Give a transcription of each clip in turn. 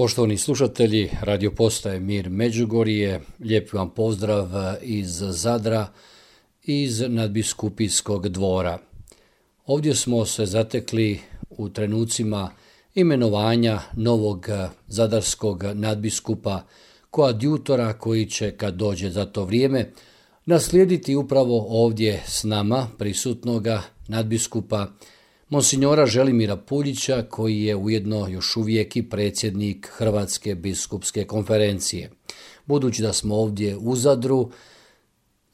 Poštovani slušatelji, radio postaje Mir Međugorje, lijep vam pozdrav iz Zadra, iz nadbiskupijskog dvora. Ovdje smo se zatekli u trenucima imenovanja novog zadarskog nadbiskupa, koadjutora koji će, kad dođe za to vrijeme, naslijediti upravo ovdje s nama prisutnoga nadbiskupa Monsignora Želimira Puljića, koji je ujedno još uvijek i predsjednik Hrvatske biskupske konferencije. Budući da smo ovdje u Zadru,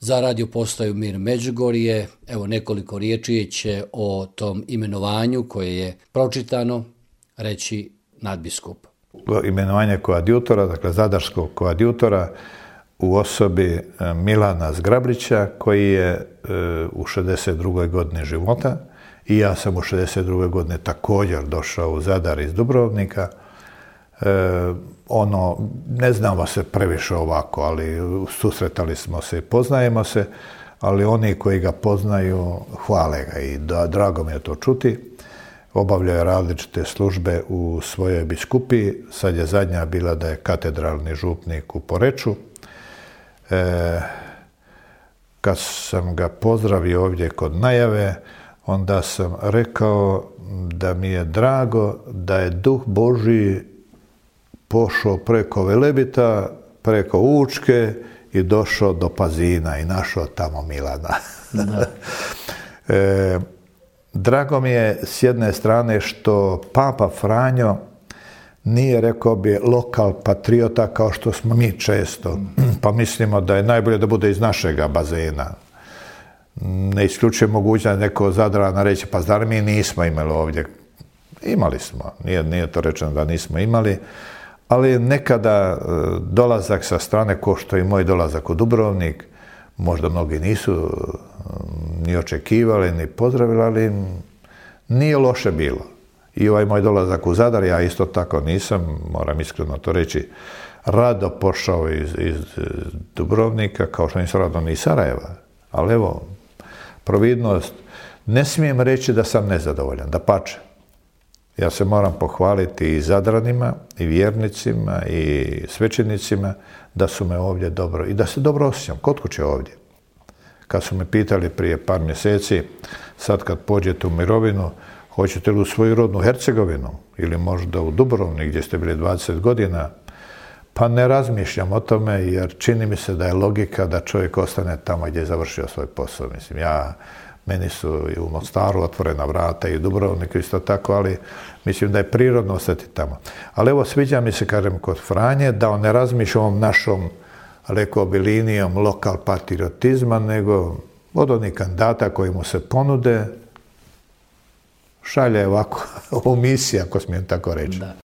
za radio postaju Mir Međugorje, evo nekoliko riječi će o tom imenovanju koje je pročitano reći nadbiskup. Imenovanje koadjutora, dakle zadarskog koadjutora u osobi Milana Zgrablića, koji je u 62. godini života. I ja sam u 62. godine također došao u Zadar iz Dubrovnika. Ne znamo se previše ovako, ali susretali smo se i poznajemo se, ali oni koji ga poznaju hvale ga i drago mi je to čuti. Obavljao je različite službe u svojoj biskupiji, sad je zadnja bila da je katedralni župnik u Poreču. Kad sam ga pozdravio ovdje kod najave, onda sam rekao da mi je drago da je Duh Božji pošao preko Velebita, preko Učke i došao do Pazina i našao tamo Milana. Drago mi je s jedne strane što Papa Franjo nije, rekao bi, lokal patriota kao što smo mi često, pa mislimo da je najbolje da bude iz našega bazena. Ne isključuje mogućnost neko Zadrana reći, pa zar mi nismo imali ovdje? Imali smo, nije to rečeno da nismo imali, ali nekada dolazak sa strane, ko što i moj dolazak u Dubrovnik, možda mnogi nisu ni očekivali, ni pozdravili, ali nije loše bilo. I ovaj moj dolazak u Zadar, ja isto tako nisam, moram iskreno to reći, rado pošao iz Dubrovnika, kao što nisam rado ni iz Sarajeva, ali evo, providnost, ne smijem reći da sam nezadovoljan, dapače. Ja se moram pohvaliti i Zadranima, i vjernicima, i svećenicima, da su me ovdje dobro, i da se dobro osjećam, kod kuće ovdje. Kad su me pitali prije par mjeseci, sad kad pođete u mirovinu, hoćete li u svoju rodnu Hercegovinu, ili možda u Dubrovnik gdje ste bili 20 godina, pa ne razmišljam o tome, jer čini mi se da je logika da čovjek ostane tamo gdje je završio svoj posao. Mislim, meni su i u Mostaru otvorena vrata i u Dubrovniku isto tako, ali mislim da je prirodno ostati tamo. Ali evo, sviđa mi se, kažem, kod Franje, da on ne razmišlja ovom našom, rekao bi, linijom lokal patriotizma, nego od onih kandidata koji mu se ponude, šalje ovako u misiju, ako smijem tako reći. Da.